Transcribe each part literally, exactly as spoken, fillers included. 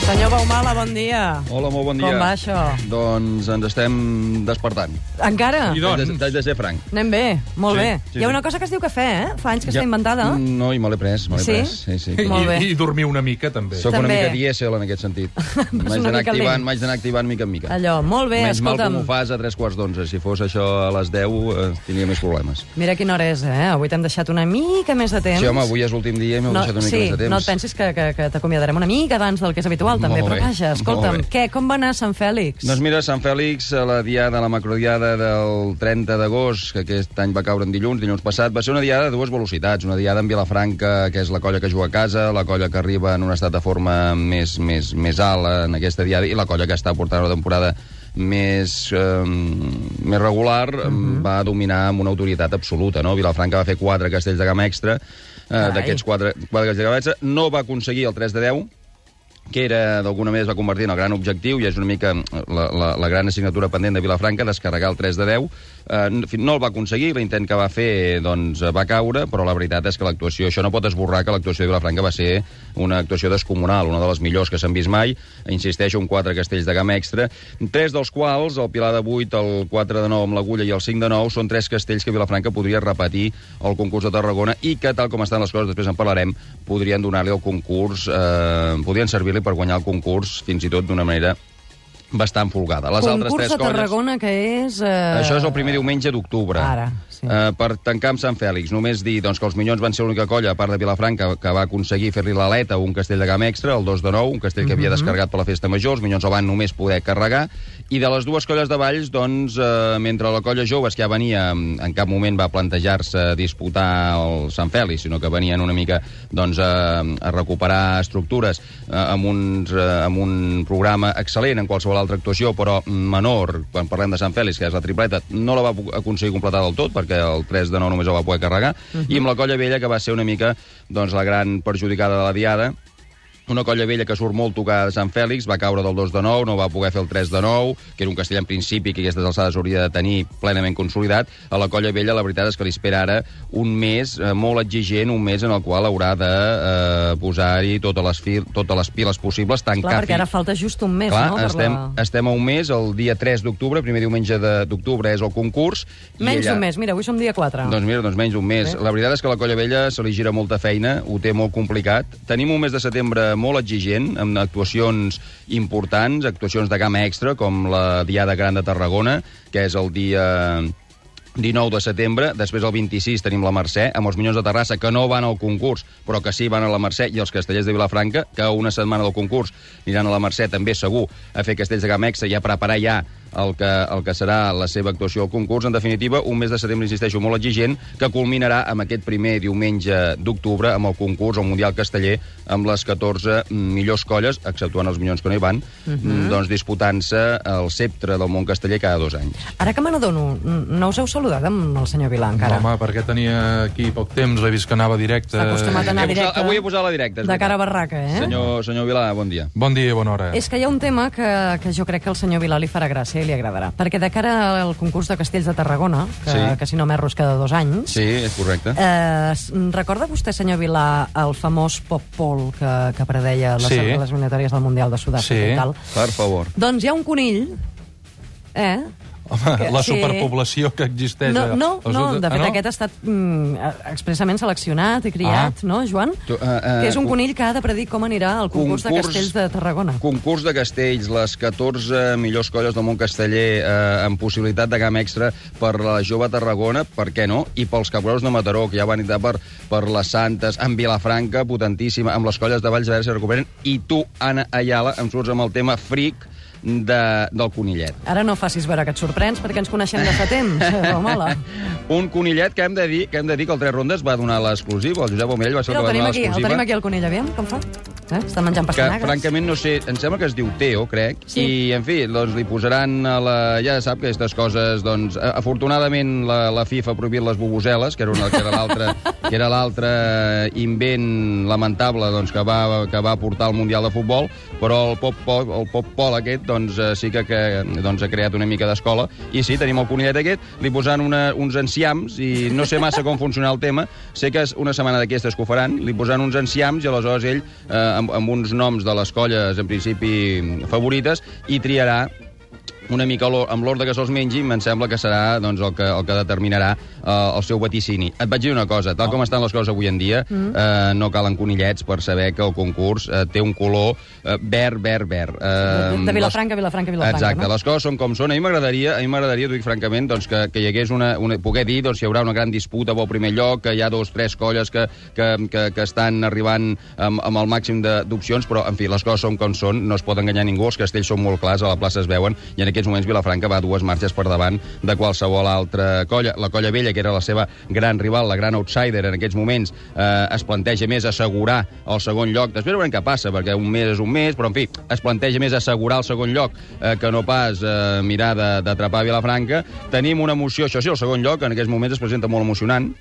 Senyor Baumala, bon dia. Hola, molt bon dia. Com va això? Doncs ens estem despertant. Encara? I doncs? T'haig de ser franc. Anem bé, molt Sí, bé. sí, Hi ha sí. una cosa que es diu cafè, eh? Fa anys que Ja- està inventada. No, i me l'he pres, me l'he Sí? pres. Sí, sí. I- Molt bé. I, I dormir una mica, també. Soc una També. mica dièsel en aquest sentit. M'haig una d'anar mica activant, lent. m'haig d'anar activant mica en mica. Allò, molt bé, Menys mal escolta'm. com ho fas a tres quarts d'onze. Si fos això a les deu, eh, tindria més problemes. Mira quina hora és, eh? Avui t'hem deixat una mica més de temps. Sí, home, avui és l'últim dia i m'heu No, deixat una mica sí, més de temps. no et pensis que, que, que t'acomiadarem una mica abans del que és habitual, també. Molt Però bé, vaja, escolta'm, molt bé. què, com va anar Sant Fèlix? Doncs mira, Sant Fèlix, a la diada, la macrodiada del trenta d'agost, que aquest any va caure en dilluns, dilluns passat, va ser una diada de dues velocitats. Una diada en Vilafranca, que és la colla que juga a casa, la colla que arriba en un estat de forma més, més, més alt en aquesta diada, i la colla que està portant una temporada més, eh, més regular, Mhm. va dominar amb una autoritat absoluta. No? Vilafranca va fer quatre castells de gamma extra, eh, Carai. d'aquests quatre, quatre castells de gamma extra, no va aconseguir el tres de deu, que era, d'alguna manera, es va convertir en el gran objectiu, i és una mica la, la, la gran assignatura pendent de Vilafranca, descarregar el tres de deu. Eh, no el va aconseguir, l'intent que va fer doncs, va caure, però la veritat és que l'actuació, això no pot esborrar que l'actuació de Vilafranca va ser una actuació descomunal, una de les millors que s'han vist mai. Insisteixo, en quatre castells de gamma extra, tres dels quals, el Pilar de vuit, el quatre de nou amb l'Agulla i el cinc de nou, són tres castells que Vilafranca podria repetir al concurs de Tarragona i que, tal com estan les coses, després en parlarem, podrien donar-li el concurs, eh, podrien servir per guanyar el concurs, fins i tot d'una manera bastant folgada. Les altres Concurs tres de colles... Tarragona, que és... Eh... Això és el primer diumenge d'octubre. Ara, sí. Eh, per tancar amb Sant Fèlix, només dir doncs, que els Minyons van ser l'única colla, a part de Vilafranca, que va aconseguir fer-li l'aleta un castell de gamma extra, el dos de nou, un castell que havia descarregat per la festa major, els Minyons el van només poder carregar, i de les dues colles de Valls, doncs, eh, mentre la colla joves, que ja venia, en cap moment va plantejar-se disputar el Sant Fèlix, sinó que venien una mica doncs, a, a recuperar estructures eh, amb, uns, eh, amb un programa excel·lent en qualsevol altra actuació, però menor, quan parlem de Sant Fèlix, que és la tripleta, no la va aconseguir completar del tot, perquè el tres de nou només el va poder carregar, uh -huh. i amb la colla vella, que va ser una mica doncs, la gran perjudicada de la diada, una colla vella que surt molt tocada de Sant Fèlix, va caure del dos de nou, no va poder fer el tres de nou, que era un castell en principi que aquestes alçades hauria de tenir plenament consolidat. A la colla vella la veritat és que li espera ara un mes eh, molt exigent, un mes en el qual haurà de eh, posar-hi totes les, fil, totes les piles possibles, tancar... Clar, perquè ara falta just un mes, Clar, no? Per estem, la... estem a un mes, el dia tres d'octubre, primer diumenge de- d'octubre és el concurs. i Menys ella- d'un mes, mira, avui som dia quatre. doncs mira, doncs menys d'un mes. Bé. La veritat és que la colla vella se li gira molta feina, ho té molt complicat. Tenim un mes de setembre molt exigent, amb actuacions importants, actuacions de gamma extra, com la Diada Gran de Tarragona, que és el dia dinou de setembre. Després, el vint-i-sis, tenim la Mercè, amb els Minyons de Terrassa, que no van al concurs, però que sí van a la Mercè, i els castellers de Vilafranca, que una setmana del concurs aniran a la Mercè, també segur, a fer castells de gamma extra i a preparar ja el que, el que serà la seva actuació al concurs. En definitiva, un mes de setembre, insisteixo, molt exigent, que culminarà amb aquest primer diumenge d'octubre, amb el concurs, el Mundial Casteller, amb les catorze millors colles, exceptuant els Minyons que no hi van, uh -huh. doncs disputant-se el sceptre del món casteller cada dos anys. Ara que me n'adono, no us heu saludat amb el senyor Vilà, encara? No, home, perquè tenia aquí poc temps, he vist que anava directe. Està acostumat a anar He posat- directe. avui he posat la directa, és De cara a veritat. barraca, eh? Senyor, senyor Vilà, bon dia. Bon dia i bona hora. És que hi ha un tema que, que jo crec que al senyor Vilà li farà gràcia i li agradarà. Perquè de cara al concurs de Castells de Tarragona, que, Sí. que si no m'erro és cada dos anys, Sí, és correcte. eh, s- recorda vostè, senyor Vilà, el famós pop-pol que, que predeia les, Sí. les eliminatòries del Mundial de Sud-àfrica Sí. i tal? Per favor. Doncs hi ha un conill, eh? Home, que- la sí. superpoblació que existeix... No, a- no, als no, sud- de fet Ah, no? aquest ha estat mm, expressament seleccionat i criat, Ah. no, Joan? Tu, uh, uh, Que és un conill que ha de predir com anirà al concurs, de Castells de Tarragona. Concurs de castells, les catorze millors colles del món casteller eh, amb possibilitat de gamma extra per la jove Tarragona, per què no? I pels caporeus de Mataró, que ja van entrar per, per les Santes, amb Vilafranca, potentíssima, amb les colles de Valls, a veure si recuperen, i tu, Anna Ayala, em surts amb el tema fric de, del conillet. Ara no facis veure que et sorprens, perquè ens coneixem de fa temps. Hola. Un conillet que hem de dir que hem de dir que el Tres Rondes va donar l'exclusiva. El Josep Omell va ser Mira, el el que va tenim donar aquí, el l'exclusiva. tenim aquí el conill, aviam, com fa? Eh? Està menjant Que, pastanagues. francament, no sé, em sembla que es diu Teo, crec, Sí. i, en fi, doncs li posaran a la... Ja sap que aquestes coses, doncs, a- afortunadament la, la FIFA ha prohibit les bubuseles, que era una, que era l'altre que era l'altre invent lamentable doncs, que, va, que va portar al Mundial de Futbol, però el pop-pol el pop-pol aquest, doncs, doncs, eh, sí que, que doncs, ha creat una mica d'escola. I sí, tenim el conillet aquest, li posant una, uns enciams, i no sé massa com funciona el tema. Sé que és una setmana d'aquestes que ho faran, li posant uns enciams, i aleshores ell, eh, amb, amb uns noms de les colles, en principi, favorites, i triarà una mica amb l'ordre que se'ls mengi, em sembla que serà doncs, el, que, el que determinarà eh, el seu vaticini. Et vaig dir una cosa, tal com estan les coses avui en dia, mm. eh, no calen conillets per saber que el concurs eh, té un color eh, verd, verd, verd. Eh, de, de Vilafranca, les... Vilafranca, Vilafranca. Exacte, no? Les coses són com són. A mi m'agradaria, a mi m'agradaria, t'ho dic francament, doncs, que, que hi hagués una, una... poder dir, doncs, hi haurà una gran disputa pel primer lloc, que hi ha dos, tres colles que, que, que, que estan arribant amb, amb el màxim d'opcions, però, en fi, les coses són com són, no es pot enganyar ningú, els castells són molt clars, a la plaça es veuen, i en aquests moments Vilafranca va dues marxes per davant de qualsevol altra colla. La colla vella, que era la seva gran rival, la gran outsider en aquests moments, eh, es planteja més assegurar el segon lloc. Després veurem què passa, perquè un mes és un mes, però, en fi, es planteja més assegurar el segon lloc eh, que no pas eh, mirar d'atrapar Vilafranca. Tenim una emoció, això sí, el segon lloc en aquests moments es presenta molt emocionant,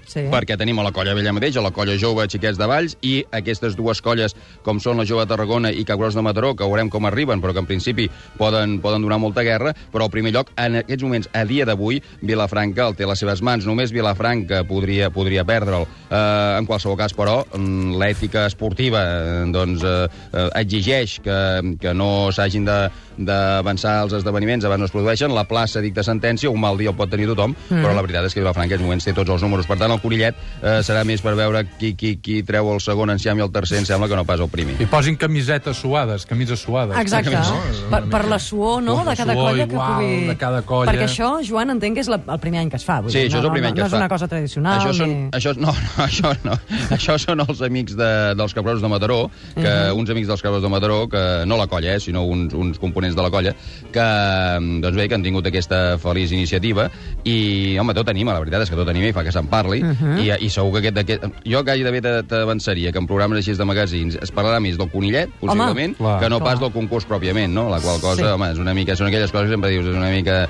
sí. Perquè tenim a la colla vella mateix, a la colla jove Xiquets de Valls, i aquestes dues colles, com són la jove de Tarragona i Cap Gros de Mataró, que veurem com arriben, però que en principi poden, poden donar molta guerra, però al primer lloc, en aquests moments, a dia d'avui, Vilafranca el té a les seves mans. Només Vilafranca podria, podria perdre'l. Eh, en qualsevol cas, però, l'ètica esportiva doncs, eh, exigeix que, que no s'hagin de d'avançar els esdeveniments abans no es produeixen. La plaça dicta sentència, un mal dia el pot tenir tothom, mm. però la veritat és que Vilafranca en aquests moments té tots els números. Per tant, el conillet eh, serà més per veure qui, qui, qui treu el segon enciam i el tercer em sembla que no pas el primer. I posin camisetes suades, camises suades. Exacte, no? per, per la suor, no?, de cada colla que igual, pugui... de cada colla. Perquè això, Joan, entenc que és la, el primer any que es fa. Vull sí, dir, això no, és el primer no, any que no es fa. No és una cosa tradicional. Això són, ni... això, no, no, això no. Això són els amics de, dels Cabrots de Mataró, que, uh -huh. uns amics dels Cabrots de Mataró, que no la colla, eh, sinó uns, uns components de la colla, que, doncs bé, que han tingut aquesta feliç iniciativa, i, home, tot anima, la veritat és que tot anima i fa que se'n parli, uh -huh. i, i segur que aquest, aquest... Jo gairebé t'avançaria que en programes així de magazins es parlarà més del conillet, possiblement, home, que no clar. Pas del concurs pròpiament, no? La qual cosa, sí. home, és una mica... Són aquelles coses que sempre dius, és una mica...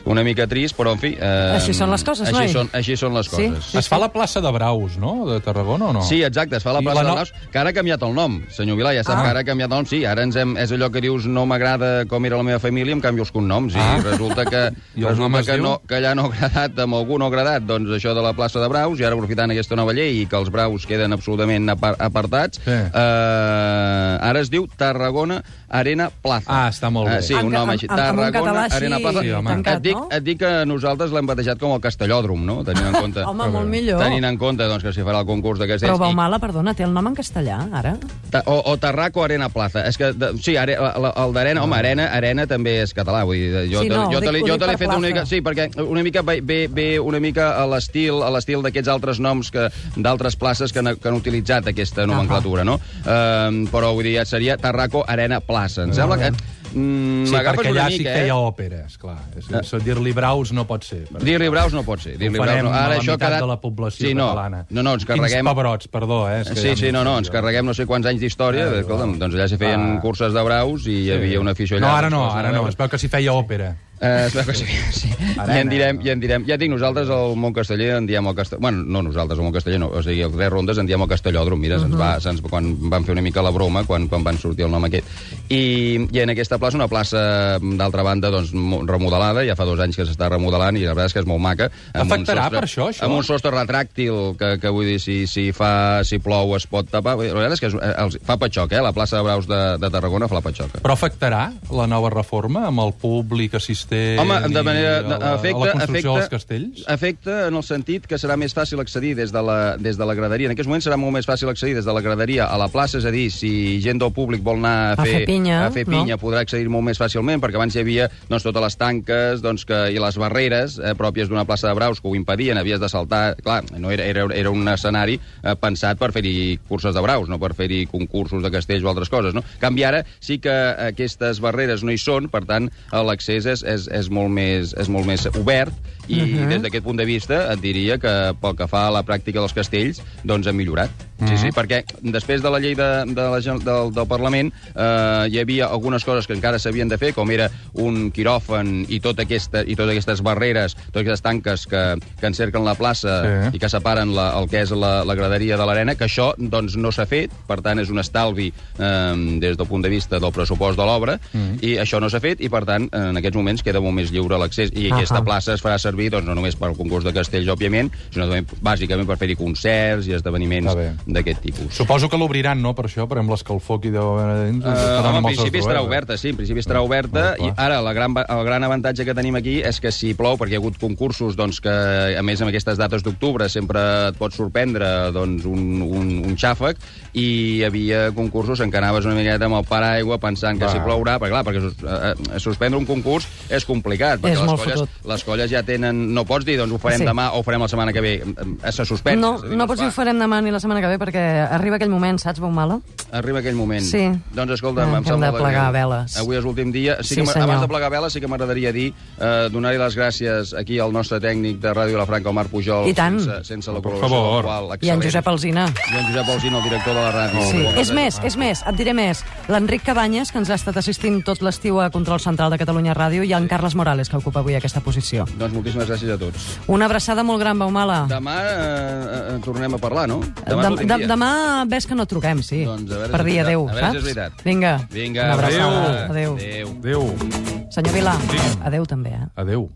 una mica trist, però, en fi... Eh, així són les coses, així noi? Són, així són les coses. Sí, sí, es fa la plaça de Braus, no?, de Tarragona, o no? Sí, exacte, es fa la plaça la no... de Braus, que ara ha canviat el nom, senyor Vilà, ja sap ah. que ara ha canviat el nom, sí, ara ens hem, és allò que dius, no m'agrada com era la meva família, em canvio els cognoms, ah. i resulta que, I resulta que, no, que allà no ha agradat, amb algú no ha agradat, doncs això de la plaça de Braus, i ara aprofitant aquesta nova llei i que els Braus queden absolutament apartats, sí. eh, ara es diu Tarragona Arena Plaza. Ah, està molt bé. Uh, sí, un nom així. Tarragona Arena Plaza. Sí, et, dic, et dic que nosaltres l'hem batejat com el Castellòdrom, no? Tenint en compte... Home, molt millor. Tenint en compte doncs, que s'hi farà el concurs de castells. Però Baumala, perdona, té el nom en castellà, ara? O, o Tarraco Arena Plaza. És que, de, sí, are, la, el d'Arena, home, Arena, Arena també és català, vull dir, jo, sí, no, jo, dic, jo te l'he fet una mica... Sí, perquè una mica ve, ve una mica a l'estil a l'estil d'aquests altres noms que d'altres places que han, que han utilitzat aquesta nomenclatura, no? Uh, però, vull dir, ja seria Tarraco Arena Plaza. Em sembla que... Mm, sí, perquè allà sí que eh? hi ha òpera, esclar. Uh. Dir-li Braus no pot ser. Dir-li Braus no pot ser. Dir-li Braus no. Ara, la això meitat quedat... de la població sí, no. catalana. No, no, ens carreguem... Quins pebrots, perdó, eh? Sí, sí, no, no, ens carreguem no sé quants anys d'història. Eh, Escolta'm, doncs allà s'hi feien ah. curses de Braus i hi havia una afició allà. No, ara no, ara no. Es veu que s'hi feia òpera. Uh, es veu que sí, sí. I en direm, i en direm. Ja dic, nosaltres al món casteller en diem el castelló... Bueno, no nosaltres al món casteller, no. O sigui, els tres rondes en diem el castellòdrom. Mira, uh -huh. se'ns va, se'ns, quan van fer una mica la broma, quan, quan van sortir el nom aquest. I, i en aquesta plaça, una plaça, d'altra banda, doncs, remodelada, ja fa dos anys que s'està remodelant, i la veritat és que és molt maca. Afectarà per això, això? Amb un sostre retràctil, que, que vull dir, si, si, fa, si plou es pot tapar. La veritat és que és, els, fa patxoc, eh? La plaça de Braus de, de Tarragona fa la patxoca. Però afectarà la nova reforma amb el públic assistent? Home, de manera... De, a, afecta, a la construcció afecta, dels castells? Afecta en el sentit que serà més fàcil accedir des de, la, des de la graderia. En aquests moments serà molt més fàcil accedir des de la graderia a la plaça, és a dir, si gent del públic vol anar a fer, a fer pinya, a fer pinya no? podrà accedir molt més fàcilment, perquè abans hi havia doncs, totes les tanques doncs, que, i les barreres eh, pròpies d'una plaça de Braus que ho impedien, havies de saltar... Clar, no era, era, era un escenari eh, pensat per fer-hi curses de Braus, no per fer-hi concursos de castells o altres coses, no? En canvi, ara sí que aquestes barreres no hi són, per tant, l'accés és, és, és molt més... És molt més obert i Mhm. des d'aquest punt de vista et diria que pel que fa a la pràctica dels castells, doncs han millorat. Sí, Mhm. sí, perquè després de la llei de, de la, gen- del, del Parlament eh, hi havia algunes coses que encara s'havien de fer, com era un quiròfan i, tot aquesta, i totes aquestes barreres, totes aquestes tanques que, que encerclen la plaça Sí. i que separen la, el que és la, la graderia de l'arena, que això doncs, no s'ha fet, per tant és un estalvi eh, des del punt de vista del pressupost de l'obra, Mhm. i això no s'ha fet, i per tant en aquests moments queda molt més lliure l'accés, i Ahà. aquesta plaça es farà servir doncs, no només per al concurs de castells, òbviament, sinó també bàsicament per fer-hi concerts i esdeveniments Està bé. d'aquest tipus. Suposo que l'obriran, no?, per això, per amb l'escalfor que hi deu haver dins. Uh, estaran home, en amb els principi seus estarà duels. oberta, sí, en principi estarà oberta, Ah, clar. i ara la gran, el gran avantatge que tenim aquí és que si plou, perquè hi ha hagut concursos doncs, que, a més, amb aquestes dates d'octubre sempre et pot sorprendre doncs, un, un, un xàfec, i hi havia concursos en què anaves una miqueta amb el paraigua pensant que Va. si plourà, perquè clar, perquè sus, eh, eh, suspendre un concurs és complicat, perquè És les molt colles, fotut. les colles ja tenen... No pots dir, doncs ho farem Sí. demà o ho farem la setmana que ve. Eh, Se suspèn. No, És a dir, no es pots dir fa. ho farem demà ni la setmana que ve, perquè arriba aquell moment, saps, Baumala? Arriba aquell moment. Sí. Doncs escolta, Ah, em que hem sembla de plegar greu. veles. Avui és l'últim dia. Sí Sí, que, senyor. abans de plegar veles, sí que m'agradaria dir, eh, donar-li les gràcies aquí al nostre tècnic de Ràdio Vilafranca, el Marc Pujol, I tant. sense, sense la Per col·laboració favor. del qual, I en excel·lent. Josep Alsina. I en Josep Alsina, el director de la ràdio. Sí. Moltes És gràcies. més, és més, et diré més. L'Enric Cabanyes, que ens ha estat assistint tot l'estiu a Control Central de Catalunya Ràdio, i en Carles Morales, que ocupa avui aquesta posició. Doncs moltíssimes gràcies a tots. Una abraçada molt gran, Baumala. Demà eh, eh, tornem a parlar, no? Dem és l'últim dem dia. demà ves que no truquem, sí. Doncs a veure per si és dir veritat. adéu, A veure si saps? és veritat. Vinga, Vinga, una abraçada. adéu. Adéu. Adéu. Adéu. Senyor Vilà, Digui'm. adéu també, eh? Adéu.